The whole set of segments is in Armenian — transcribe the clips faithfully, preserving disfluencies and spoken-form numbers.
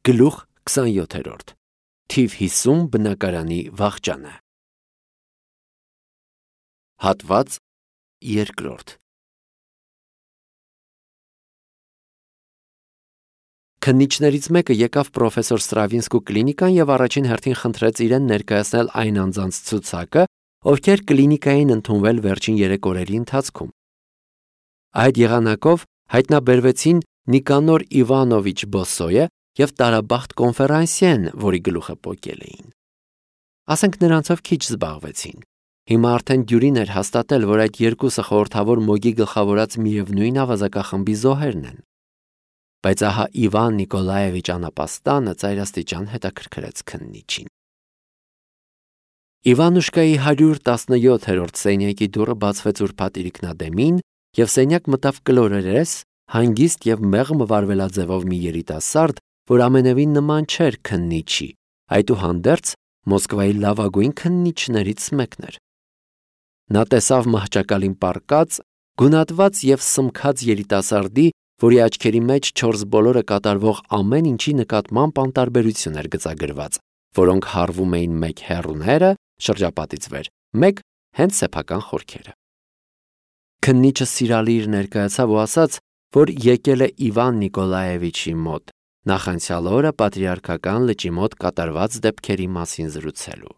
Գլուխ քսանյոթերորդ Թիվ հիսուն բնակարանի վախճանը Հատված երկրորդ Քննիչներից մեկը եկավ պրոֆեսոր Ստրավինսկու կլինիկան և առաջին հերթին խնդրեց իրեն ներկայացնել այն անձանց ցուցակը, ովքեր կլինիկային ընդունվել վերջին երեք օրերի ընթացքում։ Այդ եղանակով հայտնաբերվեցին Նիկանոր Իվանովիչ Բոսոյը և Տարաբախտ Կոնֆերանսիեն, որի գլուխը պոկել էին։ Ասենք նրանցով քիչ զբաղվեցին։ Հիմա արդեն դյուրին էր հաստատել, որ այդ երկուսը խորհրդավոր Մոգի գլխավորած միևնույն ավազակախմբի զոհերն են։ Բայց ահա Իվան Նիկոլաևիչ Անապաստանը ծայրաստիճան հետաքրքրեց քննիչին։ Իվանուշկայի հարյուր տասնյոթերորդ սենյակի դուռը բացվեց ուրբաթ իրիկնադեմին, և սենյակ մտավ կլորերես, հանգիստ և մեղմ վարվելաձևով մի երիտասարդ, որ ամենևին նման չէր քննիչի, այդուհանդերձ Մոսկվայի լավագույն քննիչներից մեկն էր։ Նա տեսավ մահճակալին պառկած, գունատված և սմքած երիտասարդի, որի աչքերի մեջ չորս բոլորը կատարվող ամեն ինչի նկատմամբ անտարբերություն էր գծագրված, որոնք հարվում էին մեկ հեռուները, շրջապատից վեր, մեկ հենց սեփական խորքերը։ Քննիչը սիրալիր ներկայացավ ու ասաց, որ եկել է Իվան Նիկոլաևիչի մոտ, նախանցյալ օրը պատրիարքական լճի մոտ կատարված դեպքերի մասին զրուցելու։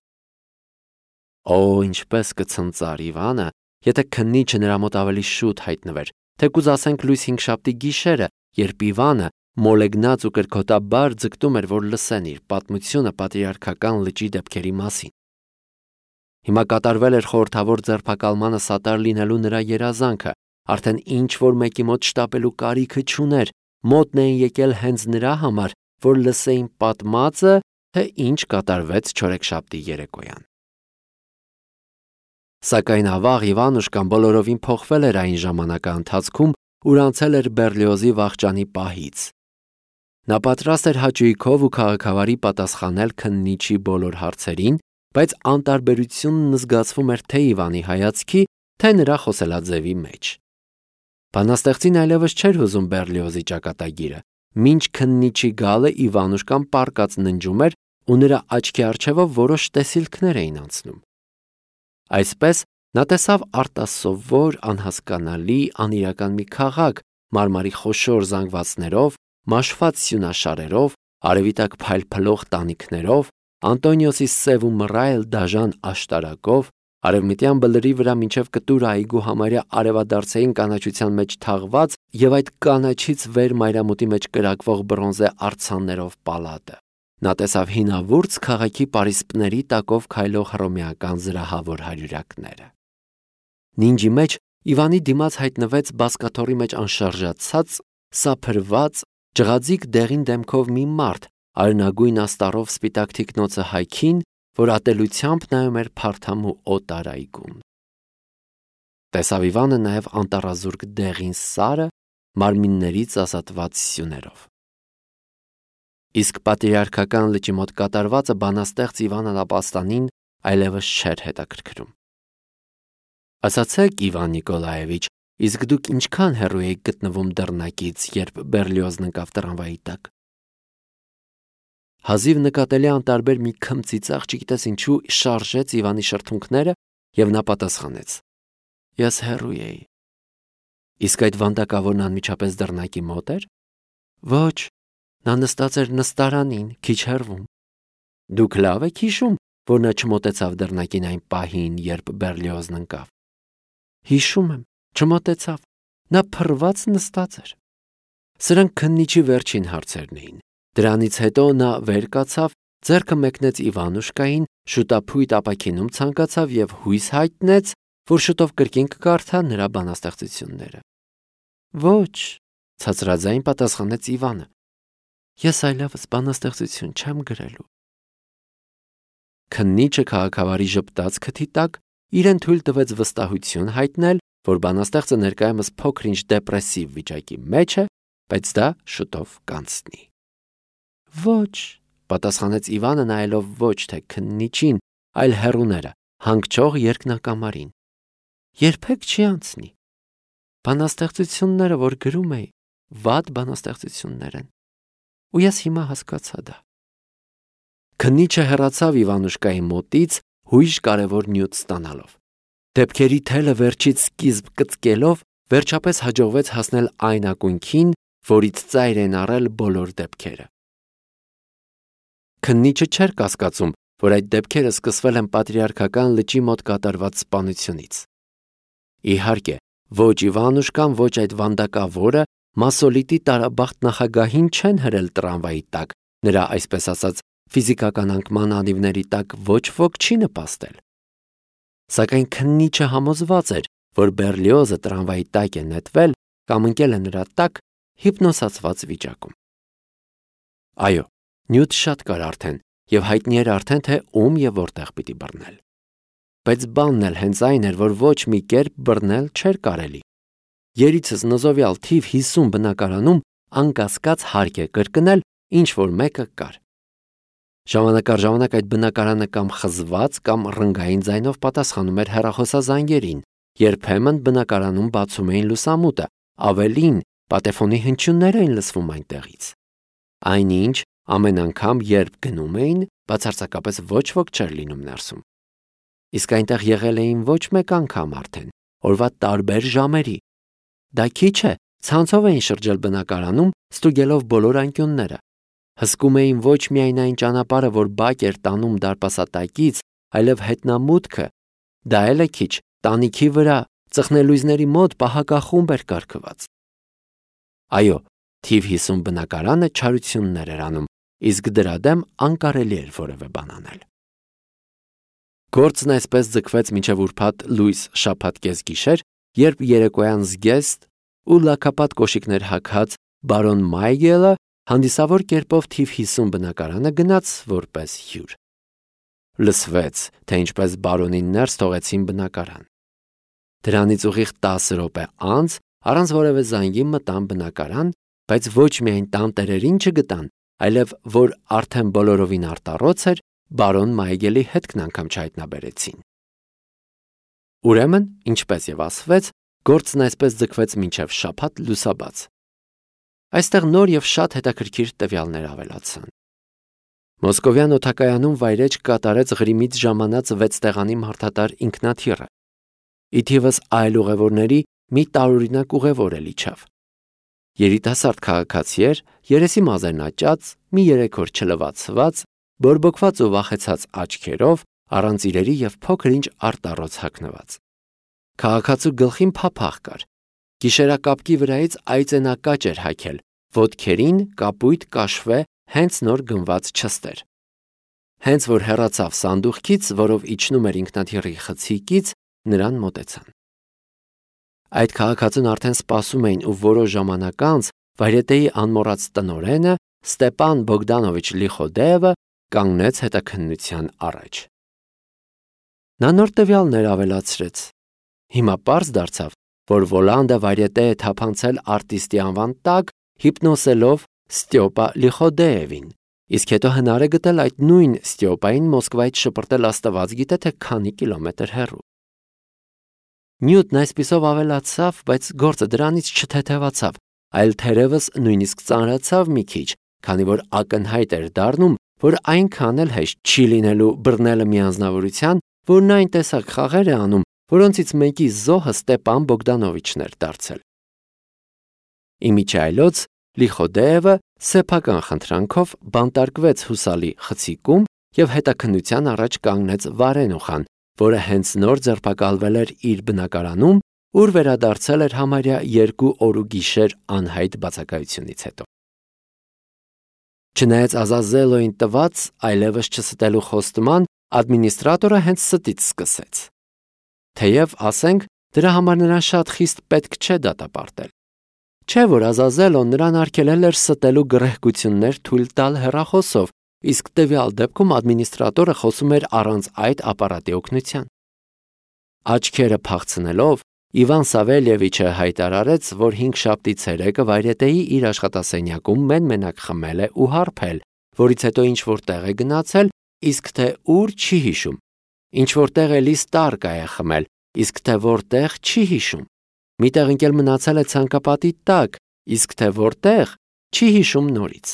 Օ, ինչպես կցնծար Իվանը, եթե քննիչը նրա մոտ ավելի շուտ հայտնվեր, թեկուզ ասենք լույս հինգշաբթի գիշերը, երբ Իվանը մոլեգնած ու կրքոտաբար ձգտում էր, որ լսեն իր պատմությունը պատրիարքական լճի դեպքերի մասին։ Հիմա կատարվել էր խորհրդավոր ձերբակալմանը սատար լինելու նրա երազանքը, արդեն ինչ-որ մեկի մոտ շտապելու կարիքը չուներ, մոտն էին եկել հենց նրա համար, որ լսեին պատմածը, թե ինչ կատարվեց չորեքշաբթի երեկոյան։ Սակայն ավաղ Իվանուշկան բոլորովին փոխվել էր այն ժամանակա ընթացքում, ուր անցել էր Բերլիոզի վախճանի պահից։ Նա պատրաստ էր հաճույքով ու քաղաքավարի պատասխանել քննիչի բոլոր հարցերին, բայց անտարբերությունն զգացվում էր թե Իվանի հայացքի, թե նրա խոսելաձևի մեջ։ Բանաստեղծին այլևս չէր հուզում Բերլիոզի ճակատագիրը, մինչ քննիչի գալը Իվանուշկան պառկած ննջում էր ու նրա աչքի առջևով որոշ տեսիլքներ էին անցնում։ Այսպես նա տեսավ արտասովոր, անհասկանալի, անիրական մի քաղաք, մարմարի խոշոր զանգվածներով, մաշված սյունաշարերով, արևի տակ փայլփլող տանիքներով, Անտոնիոսի սև ու մռայլ դաժան աշտարակով, արևմտյան բլրի վրա մինչև կտուրը այգու համարյա արևադարձային կանաչության մեջ թաղված և այդ կանաչից վեր մայրամուտի մեջ կրակվող բրոնզե արձաններով պալատը։ Նա տեսավ հինավուրց քաղաքի պարիսպների տակով քայլող հռոմեական զրահավոր հարյուրակները։ Նինջի մեջ Իվանի դիմաց հայտնվեց բազկաթոռի մեջ անշարժացած, սափրված, ջղաձիգ դեղին դեմքով մի մարդ, արյունագույն աստառով սպիտակ թիկնոցը հայքին, որ ատելությամբ նայում էր փարթամ ու օտար այգուն։ Տեսավ Իվանը նաև անտառազուրկ դեղին սարը, մարմիններից ազատված սյուներով։ Իսկ պատրիարքական լճի մոտ կատարվածը բանաստեղծ Իվան Անապաստանին այլևս չէր հետաքրքրում։ Ասացեք, Իվան Նիկոլաևիչ, իսկ դուք ինչքան հեռու եք գտնվում դռնակից, երբ Բերլիոզն ընկավ տրամվայի տակ։ Հազիվ նկատելի անտարբեր մի քմծիծաղ, չգիտես ինչու, շարժեց Իվանի շրթունքները, և նա պատասխանեց. Ես հեռու էի։ Իսկ այդ վանդակավորն անմիջապես դռնակի մոտ էր։ Ոչ, նա նստած էր նստարանին, քիչ հեռվում։ Դուք լավ եք հիշում, որ նա չմոտեցավ դռնակին այն պահին, երբ Բերլիոզն ընկավ։ Հիշում եմ, չմոտեցավ, նա փռված նստած էր։ Սրանք քննիչի վերջին հարցերն էին։ Դրանից հետո նա վեր կացավ, ձեռքը մեկնեց Իվանուշկային, շուտափույթ ապաքինում ցանկացավ և հույս հայտնեց, որ շուտով կրկին կկարդա նրա բանաստեղծությունները։ Ոչ, ցածրաձայն պատասխանեց Իվանը։ Ես այլևս բանաստեղծություն չեմ գրելու։ Քննիչը քաղաքավարի ժպտաց քթի տակ իրեն թույլ տվեց վստահություն հայտնել, որ բանաստեղծը ներկայումս փոքր-ինչ դեպրեսիվ վիճակի մեջ է, բայց դա շուտով կանցնի։ Ոչ, պատասխանեց Իվանը, նայելով ոչ թե քննիչին, այլ հեռուները, հանգչող երկնակամարին։ Երբեք չի անցնի։ Բանաստեղծությունները, որ գրում էի, վատ բանաստեղծություններ են։ ու ես հիմա հասկացա դա։ Քննիչը հեռացավ Իվանուշկայի մոտից, հույժ կարևոր նյութ ստանալով։ Դեպքերի թելը վերջից սկիզբ կծկելով, վերջապես հաջողվեց հասնել այն ակունքին, որից ծայր են առել բոլոր դեպքերը։ Քննիչը չէր կասկածում, որ այդ դեպքերը սկսվել են պատրիարքական լճի մոտ կատարված սպանությունից։ Իհարկե, ոչ Իվանուշկան, ոչ այդ վանդակավորը Մասոլիտի տարաբախտ նախագահին չեն հրել տրամվայի տակ, նրա այսպես ասած ֆիզիկական անկման անիվների տակ ոչ ոք չի նպաստել։ Սակայն քննիչը համոզված էր, որ Բերլիոզը տրամվայի տակ է նետվել կամ ընկել է նրա տակ հիպնոսացված վիճակում։ Այո, նյութ շատ կար արդեն, եւ հայտնի էր արդեն, թե ում եւ որտեղ պիտի բռնել։ Բայց բանն էլ հենց այն էր, որ ոչ մի կերպ բռնել չէր կարելի։ Երիցս նզովյալ թիվ հիսուն բնակարանում անկասկած հարկ է կրկնել, ինչ որ մեկը կար։ Ժամանակ առ ժամանակ այդ բնակարանը կամ խզված կամ ռնգային ձայնով պատասխանում էր հեռախոսազանգերին, երբեմն բնակարանում բացում էին լուսամուտը, ավելին պատեֆոնի հնչյուններ էին լսվում այնտեղից։ Այնինչ, ամեն անգամ, երբ գնում էին, բացարձակապես ոչ ոք չէր լինում ներսում։ Իսկ այնտեղ եղել էին ոչ մեկ անգամ արդեն, օրվա տարբեր ժամերի։ Դա քիչ է, ցանցով էին շրջել բնակարանում, ստուգելով բոլոր անկյունները։ Հսկում էին ոչ միայն այն ճանապարհը, որ բակ էր տանում դարպասատակից, այլև հետնամուտքը, դա էլ է քիչ, տանիքի վրա, ծխնելույզների մոտ պահակախումբ էր կարգված։ Այո, թիվ հիսուն բնակարանը չարություններ էր անում, իսկ դրա դեմ անկարելի էր որևէ բան անել։ Գործն այսպես ձգվեց մինչև ուրբաթ լույս շաբաթ կեսգիշեր, երբ երեկոյան զգեստ ու լաքապատ կոշիկներ հագած բարոն Մայգելը հանդիսավոր կերպով թիվ հիսուն բնակարանը գնաց որպես հյուր։ Լսվեց, թե ինչպես բարոնին ներս թողեցին բնակարան։ Դրանից ուղիղ տասը րոպե անց առանց որևէ զանգի մտան բնակարան, բայց ոչ միայն տանտերերին չգտան, այլև որ արդեն բոլորովին արտառոց էր, բարոն Մայգելի հետքն անգամ չհայտնաբերեցին։ Ուրեմն, ինչպես եւ ասվեց, գործն այսպես ձգվեց մինչև շաբաթ լուսաբաց։ Այստեղ նոր եւ շատ հետաքրքիր տվյալներ ավելացան։ Մոսկովյան օդակայանում վայրեջք կատարեց Ղրիմից ժամանած վեց տեղանի մարդատար ինքնաթիռը։ Ի թիվս այլ ուղևորների մի տարօրինակ ուղևոր էլ իջավ։ Երիտասարդ քաղաքացի էր, երեսի մազերն աճած, մի երեք օր չլվացված, բորբոքված ու վախեցած աչքերով, առանց իրերի եւ փոքր-ինչ արտառոց հագնված։ Քաղաքացու գլխին փափախ կար։ Գիշերակապկի վրայից այծենակաճ էր հագել, ոտքերին կապույտ կաշվե հենց նոր գնված չստեր։ Հենց որ հեռացավ սանդուղքից, որով իջնում էր ինքնաթիռի խցիկից, նրան մոտեցան։ Այդ քաղաքացուն արդեն սպասում էին ու որոշ ժամանակ անց վայրետեի անմոռաց տնօրենը Ստեփան Բոգդանովիչ Լիխոդեևը կանգնեց հետաքննության առաջ։ Նա նոր տվյալներ ավելացրեց։ Հիմա պարզ դարձավ, որ Վոլանդը վայրետե է թափանցել արտիստի անվան տակ, հիպնոսելով Ստյոպա Լիխոդեևին, իսկ հետո հնար է գտել այդ նույն Ստյոպային Մոսկվայից շպրտել աստված գիտե թե քանի կիլոմետր հեռու։ Նյութն այսպիսով ավելացավ, բայց գործը դրանից չթեթևացավ, այլ թերևս նույնիսկ ծանրացավ մի քիչ, քանի որ ակնհայտ էր դառնում, որ այնքան էլ հեշտ չի լինելու բռնելը մի անձնավորության, որն այն տեսակ խաղեր է անում, որոնցից մեկի զոհը Ստեփան Բոգդանովիչն էր դարձել։ Իմիջայլոց Լիխոդեևը սեփական խնդրանքով բանտարկվեց հուսալի խցիկում եւ հետաքննության առաջ կանգնեց Վարենուխան, որը հենց նոր ձերբակալվել էր իր բնակարանում, ուր վերադարձել էր համարյա երկու օր ու գիշեր անհայտ բացակայությունից հետո։ Չնայած Ազազելոյին տված այլևս չստելու խոստման, ադմինիստրատորը հենց ստից սկսեց։ Թեև, ասենք, դրա համար նրան շատ խիստ պետք չէ դատապարտել։ Չէ՞ որ Ազազելոն նրան արգելել էր ստելու գռեհկություններ թույլ տալ հեռախոսով, իսկ տվյալ դեպքում ադմինիստրատորը խոսում էր առանց այդ ապարատի օգնության։ Աչքերը փախցնելով, Իվան Սավելյևիչը հայտարարեց, որ հինգշաբթի ցերեկը վայրետեի իր աշխատասենյակում մեն-մենակ խմել է ու հարբել, որից հետո ինչ որ տեղ է գնացել, իսկ թե ուր չի հիշում։ Ինչ որ տեղ էլի Ստարկա է խմել, իսկ թե որտեղ չի հիշում։ Միտեղ ընկել մնացել է ցանկապատի տակ, իսկ թե որտեղ չի հիշում նորից։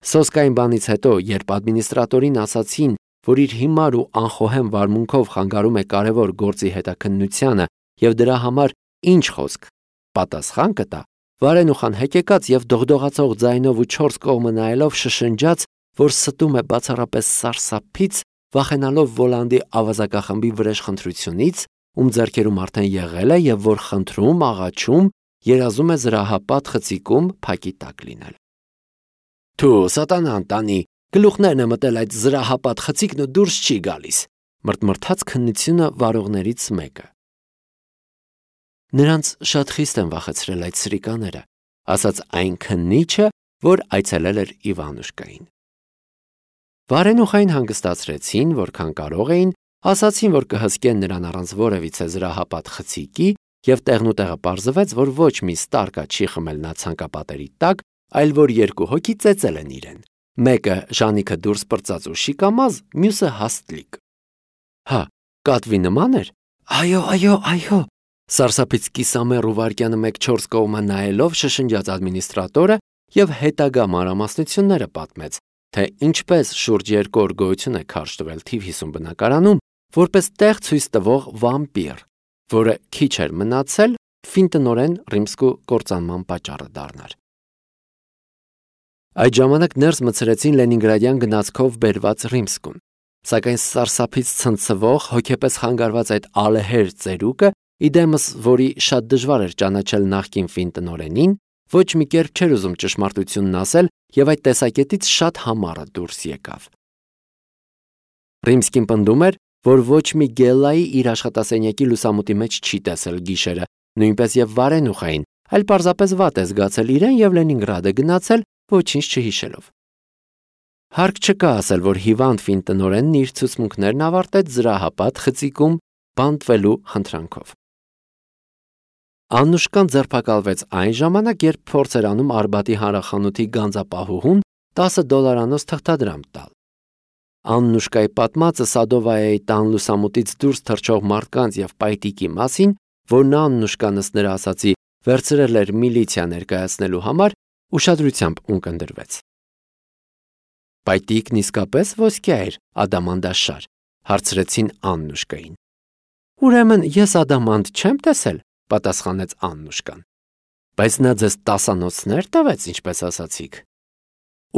Սոսկային բանից հետո, երբ ադմինիստրատորին ասացին, որ իր հիմար ու անխոհեմ վարմունքով խանգարում է կարևոր գործի հետաքննությանը եւ դրա համար ինչ խոսք պատասխան կտա, Վարենուխան հեկեկած եւ դողդողացող ձայնով ու չորս կողմը նայելով շշնջաց, որ ստում է բացառապես սարսափից, վախենալով Վոլանդի ավազակախմբի վրեժխնդրությունից, ում ձեռքերում արդեն եղել է եւ որ խնդրում, աղաչում, երազում է զրահապատ խցիկում փակի տակ լինել։ Թու սատանան տանի, գլուխներն է մտել այդ զրահապատ խցիկն ու դուրս չի գալիս, մրթմրթաց քննությունը վարողներից մեկը։ Նրանց շատ խիստ են վախեցրել այդ սրիկաները, ասաց այն քննիչը, որ այցելել էր Իվանուշկային։ Վարենուխային հանգստացրեցին, որքան կարող էին, ասացին, որ կհսկեն նրան առանց որևիցե զրահապատ խցիկի եւ տեղնուտեղը պարզվեց, որ ոչ մի ստարկա չի խմել նա ցանկապատերի տակ, այլ որ երկու հոգի ծեծել են իրեն։ Մեկը Ժանիքը դուրս պրծած ու շիկամազ, մյուսը հաստլիկ։ Հա, կատվի նման էր։ Այո, այո, այո։ Սարսափից կիսամեռ ու վարկյանը մեկ չորս կողմը նայելով շշնջաց ադմինիստրատորը եւ հետագա մանրամասնությունները պատմեց, թե ինչպես շուրջ երկու օր գոյություն է քարշ տվել թիվ հիսուն բնակարանում, որպես տեղ ցույց տվող վամպիր, որը քիչ էր մնացել ֆինտնորեն Ռիմսկու կործանման պատճառը դառնար։ Այդ ժամանակ ներս մցրեցին Լենինգրադյան գնացքով բերված Ռիմսկուն, սակայն սարսափից ցնցվող, հոգեպես խանգարված այդ ալեհեր ծերուկը, իդեմս, որի շատ դժվար էր ճանաչել նախկին ֆինտնորենին, ոչ մի կերպ չէր ուզում ճշմարտությունն ասել եւ այդ տեսակետից շատ համառը դուրս եկավ։ Ռիմսկին պնդում էր, որ ոչ մի գելայի իր աշխատասենյակի լուսամուտի մեջ չի տեսել գիշերը, նույնպես եւ Վարենուխային, այլ պարզապես վատ է զգացել իրեն եւ Լենինգրադը գնացել, ոչինչ չհիշելով։ Հարկ չկա ասել, որ հիվանդ ֆինտնորենն իր ցուցմունքներն ավարտեց զրահապատ խցիկում բանտվելու խնդրանքով։ Աննուշկան ձերբակալվեց այն ժամանակ, երբ փորձ էր անում Արբատի հանրախանութի գանձապահուհուն տասը դոլարանոց թղթադրամ տալ։ Աննուշկայի պատմածը Սադովայայի տան լուսամուտից դուրս թռչող մարդկանց եւ պայտիկի մասին, որն Աննուշկան ըստ նրա ասացի վերցրել էր միլիցիա ներկայացնելու համար, ուշադրությամբ ունկնդրվեց։ Պայտիկն իսկապես ոսկյա էր, ադամանդաշար, հարցրեցին Աննուշկային։ Ուրեմն ես ադամանդ չեմ տեսել, պատասխանեց Աննուշկան։ Բայց նա ձեզ տասանոցներ տվեց, ինչպես ասացիք։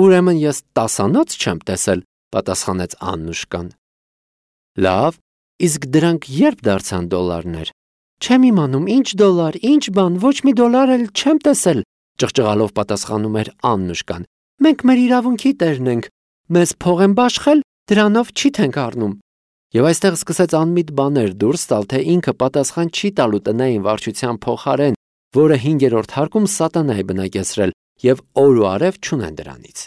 Ուրեմն ես տասանոց չեմ տեսել, պատասխանեց Աննուշկան։ Լավ, իսկ դրանք երբ դարձան դոլարներ։ Չեմ իմանում, ինչ դոլար, ինչ բան, ոչ մի դոլար էլ չեմ տեսել, ճղճղալով պատասխանում էր Աննուշկան։ Մենք մեր իրավունքի տերն ենք, մեզ փող են բաշխել, դրանով չիթենք առնում։ Եվ այստեղ սկսեց անմիտ բաներ դուրս տալ, թե ինքը պատասխան չի տալու տնային վարչության փոխարեն, որը հինգերորդ հարկում սատանա է բնակեցրել եւ օր ու արև չունեն դրանից։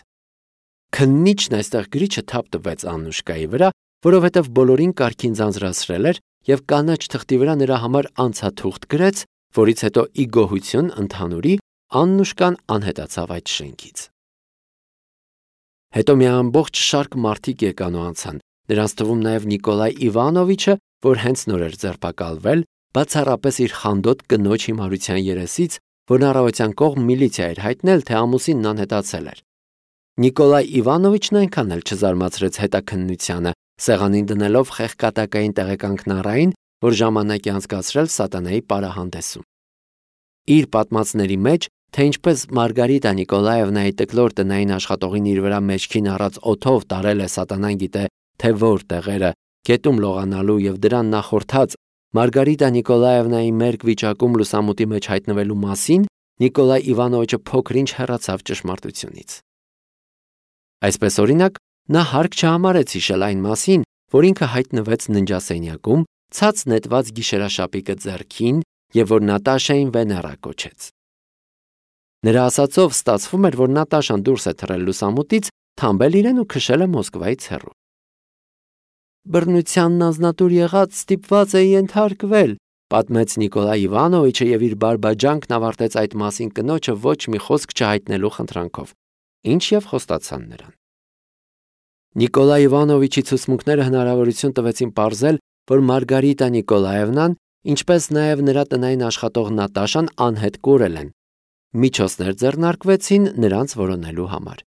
Քննիչն այստեղ գրիչը թափ տվեց Աննուշկայի վրա, որովհետև բոլորին կարգին ձանձրացրել էր եւ կանաչ թղթի վրա նրա համար անցաթուղթ գրեց, որից հետո ի գոհություն ընդհանուրի Աննուշկան անհետացավ այդ շենքից։ Հետո մի ամբողջ շարք մարդիկ եկան ու անցան, նրանց թվում նաև Նիկոլայ Իվանովիչը, որ հենց նոր էր ձերբակալվել, բացառապես իր խանդոտ կնոջ հիմարության երեսից, որն առավոտյան կողմ միլիցիա էր հայտնել, թե ամուսինն անհետացել էր։ Նիկոլայ Իվանովիչն այնքան էլ չզարմացրեց հետաքննությանը, սեղանին դնելով խեղկատակային տեղեկանքնառային, որ ժամանակ է անցկացրել սատանայի պարահանդեսում։ Իր պատմածների մեջ, թե ինչպես Մարգարիտա Նիկոլաևնայի տկլոր տնային աշխատողին իր վրա մեջքին առած օդով տարել է սատանան գիտե թե որ տեղերը, գետում լողանալու եւ դրան նախորդած Մարգարիտա Նիկոլաևնայի մերկ վիճակում լուսամուտի մեջ հայտնվելու մասին, Նիկոլայ Իվանովիչը փոքրինչ հեռացավ ճշմարտությունից։ Այսպես օրինակ, նա հարկ չհամարեց հիշել այն մասին, որ ինքը հայտնվեց ննջասենյակում, ցած նետված գիշերաշապիկը ձեռքին եւ որ Նատաշային Վեներա կոչեց։ Նրա ասածով ստացվում էր, որ Նատաշան դուրս է թռել լուսամուտից, թամբել իրեն ու քշել է Մոսկվայից հեռու։ Բռնությանն անձնատուր եղած ստիպված է ենթարկվել, պատմեց Նիկոլայ Իվանովիչը եւ իր բարբաջանքն ավարտեց այդ մասին կնոջը ոչ մի խոսք չհայտնելու խնդրանքով, ինչ եւ խոստացան նրան։ Նիկոլայ Իվանովիչի ցուցմունքները հնարավորություն տվեցին պարզել, որ Մարգարիտա Նիկոլաևնան, ինչպես նաեւ նրա տնային աշխատող Նատաշան անհետ կորել են։ Միջոցներ ձեռնարկվեցին նրանց որոնելու համար։